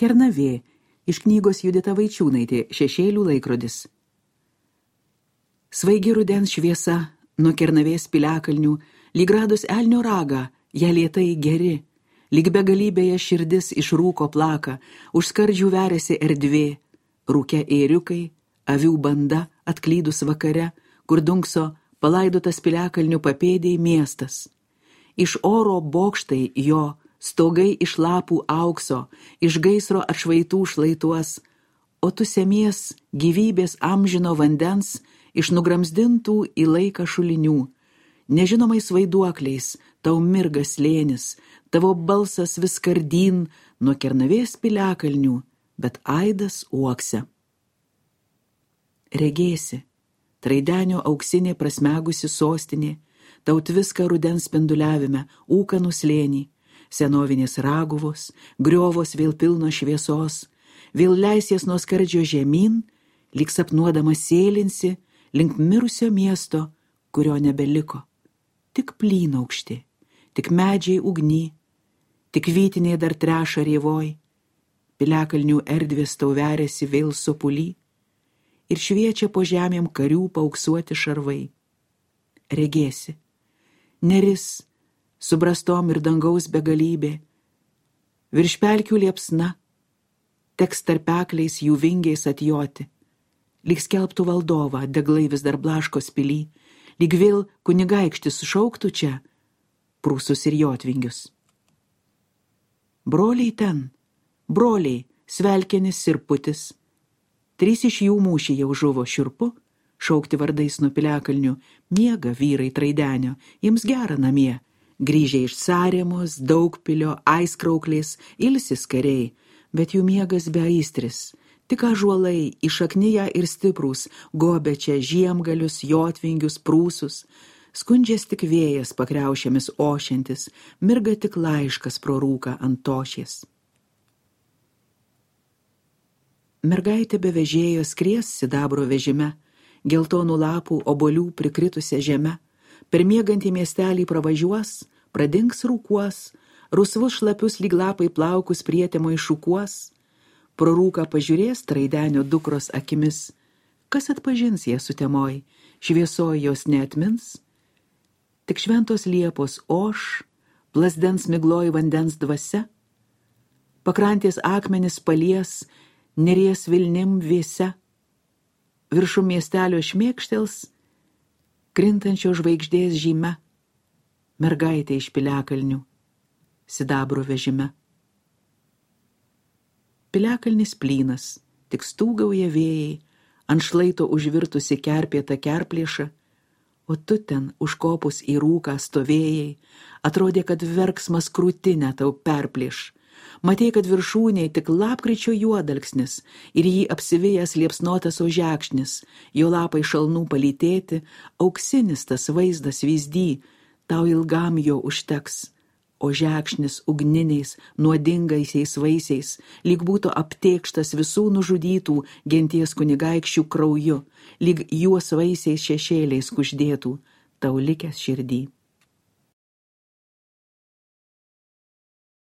Kernavė iš knygos Judita Vaičiūnaitė Šešėlių laikrodis. Svaigi rudens šviesa nuo Kernavės piliakalnių, lyg radus elnio ragą, ją lėtai geri, lyg begalybėje širdis iš rūko plaka, už skardžių veriasi erdvė, rūke ėriukai, avių banda atklydus vakare, kur dunkso palaidotas piliakalnių papėdėj miestas. Iš oro bokštai jo, stogai iš lapų aukso, iš gaisro atšvaitų šlaituos, o tu semies gyvybės amžino vandens iš nugramzdintų į laiką šulinių. Nežinomais vaiduokliais tau mirga slėnis, tavo balsas vis kardyn nuo Kernavės piliakalnių, bet aidas uokse. Regėsi, Traidenio auksinė prasmegusi sostinė, tau tviską rudens spinduliavime, ūkanų slėnį, senovinės raguvos, griovos vėl pilno šviesos, vėl leisies nuo skardžio žemyn, lyg sapnuodama sėlinsi link mirusio miesto, kurio nebeliko. Tik plynaukšti, tik medžiai ugny, tik vytiniai dar treša rievoj, piliakalnių erdvės tau veriasi vėl sopuly ir šviečia po žemėm karių paauksuoti šarvai. Regėsi, neris, subrastom ir dangaus begalybė, virš pelkių liepsna, teks tarpekliais jų vingiais atjoti, lyg skelbtų valdovą, deglai vis dar blaškos pily, lyg vėl kunigaikštis šauktų čia prūsus ir jotvingius. Broliai ten, broliai, Svelkenis ir Putis, 3 iš jų mūšį jau žuvo šiurpu, šaukti vardais nuo piliakalnių, miega vyrai Traidenio, jiems gera namie, grįžę iš Saremos, Daugpilio, Aiskrauklės, ilsis kariai, bet jų miegas be aistris, tik ąžuolai įšaknyje ir stiprūs, gobė čia žiemgalius, jotvingius, prūsus, skundžias tik vėjas pakriaušėmis ošiantis, mirga tik laiškas pro rūką ant tošies. Mergaitė be vežėjo skries sidabro vežime, geltonų lapų obolių prikritusią žemę, per miegantį miestelį pravažiuos, pradings rūkuos, rusvus šlapius lyg lapai plaukus prietemo iššukuos, pro rūką pažiūrės Traidenio dukros akimis, kas atpažins ją sutemoj, šviesoj jos neatmins, tik šventos liepos oš, plasdens migloj vandens dvasia, pakrantės akmenis palies, neries vilnim vėse, viršum miestelio šmėkštels, krintančio žvaigždės žyme, mergaitė iš piliakalnių, sidabro vežime. Piliakalnis plynas, tik stūgauja vėjai, ant šlaito užvirtusi kerpėta kerplėša, o tu ten užkopus į rūką stovėjai, atrodė, kad verksmas krūtinę tau perplėš. Matei, kad viršūnėj tik lapkričio juodalksnis ir jį apsivėjęs liepsnotas ožekšnis, jo lapai šalnų palytėti, auksinis tas vaizdas vyzdy, tau ilgam jo užteks, ožekšnis ugniniais, nuodingaisiais vaisiais, lyg būtų aptėkštas visų nužudytų genties kunigaikščių krauju, lyg juos vaisiais šešėliais kuždėtų, tau likęs širdį.